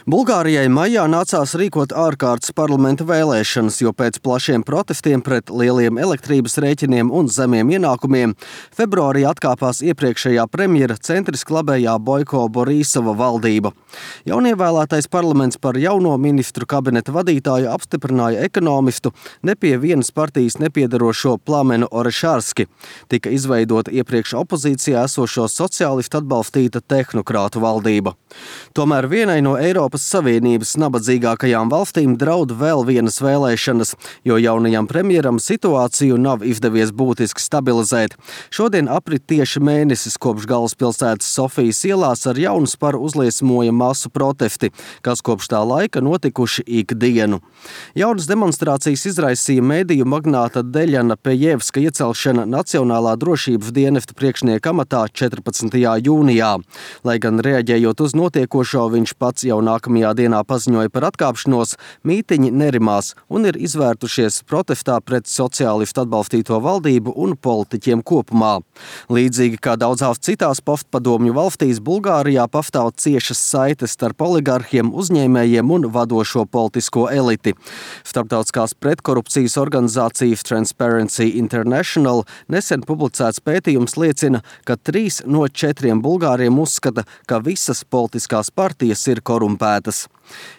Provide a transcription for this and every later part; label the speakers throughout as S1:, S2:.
S1: Bulgārijai maijā nācās rīkot ārkārtas parlamenta vēlēšanas, jo pēc plašiem protestiem pret lieliem elektrības rēķiniem un zemiem ienākumiem februārī atkāpās iepriekšējā premjera centriski labējā Boiko Borisova valdība. Jaunievēlētais parlaments par jauno ministru kabineta vadītāju apstiprināja ekonomistu, ne pie vienas partijas nepiedarošo Plamenu Orešarski. Tika izveidota iepriekš opozīcijā esošo sociālistu atbalstīta tehnokrātu valdība. Tomēr vienai no Eiropas Savienības nabadzīgākajām valstīm draud vēl vienas vēlēšanas, jo jaunajam premjeram situāciju nav izdevies būtiski stabilizēt. Šodien aprit tieši mēnesis, kopš galvaspilsētas Sofijas ielās ar jaunu sparu uzliesmoja masu protesti, kas kopš tā laika notikuši ikdienu. Jaunas demonstrācijas izraisīja mediju magnāta Deļana Pejevska iecelšana Nacionālā drošības dienesta priekšnieka amatā 14. jūnijā. Lai gan reaģējot uz notiekošo, viņš pats jau nākamajā dienā paziņoja par atkāpšanos, mītiņi nerimās un ir izvērtušies protestā pret sociālistu atbalstīto valdību un politiķiem kopumā. Līdzīgi kā daudzās citās postpadomju valstīs, Bulgārijā pastāv ciešas saites starp oligarhiem, uzņēmējiem un vadošo politisko eliti. Starptautiskās pretkorupcijas organizācijas Transparency International nesen publicēts pētījums liecina, ka 3 no 4 bulgāriem uzskata, ka visas politiskās partijas ir korumpētas.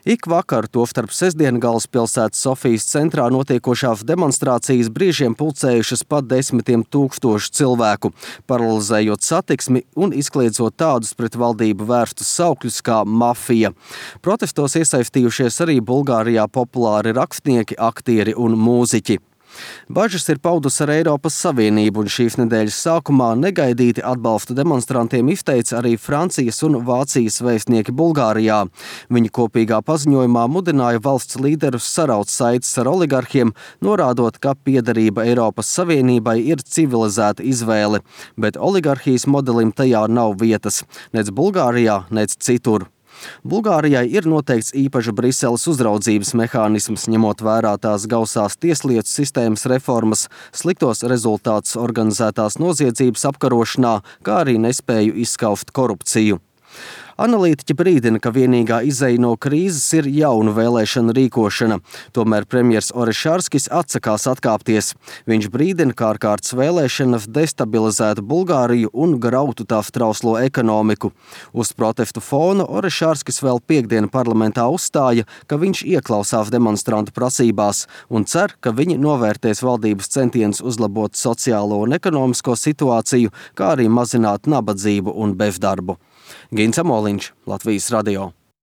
S1: Ik vakar, tostarp sestdien galvaspilsētas Sofijas centrā notiekošās demonstrācijas brīžiem pulcējušas pat 10 000 cilvēku, paralizējot satiksmi un izkliedzot tādus pret valdību vērstus saukļus kā mafija. Protestos iesaistījušies arī Bulgārijā populāri rakstnieki, aktieri un mūziķi. Bažas ir paudusi ar Eiropas Savienību, un šīs nedēļas sākumā negaidīti atbalstu demonstrantiem izteica arī Francijas un Vācijas vēstnieki Bulgārijā. Viņi kopīgā paziņojumā mudināja valsts līderus saraut saites ar oligarhiem, norādot, ka piederība Eiropas Savienībai ir civilizēta izvēle, bet oligarhijas modelim tajā nav vietas, nec Bulgārijā, nec citur. Bulgārijai ir noteikts īpaša Briseles uzraudzības mehānisms, ņemot vērā tās gausās tieslietu sistēmas reformas, sliktos rezultātus organizētās noziedzības apkarošanā, kā arī nespēju izskaust korupciju. Analītiķi brīdina, ka vienīgā izeja no krīzes ir jaunu vēlēšanu rīkošana. Tomēr premjers Orešarskis atsakās atkāpties. Viņš brīdina, ka ārkārtas vēlēšanas destabilizētu Bulgāriju un grautu tās trauslo ekonomiku. Uz protestu fona Orešarskis vēl piektdien parlamentā uzstāja, ka viņš ieklausās demonstrantu prasībās un cer, ka viņi novērtēs valdības centienus uzlabot sociālo un ekonomisko situāciju, kā arī mazināt nabadzību un bezdarbu. Gins Amoliņš, Latvijas radio.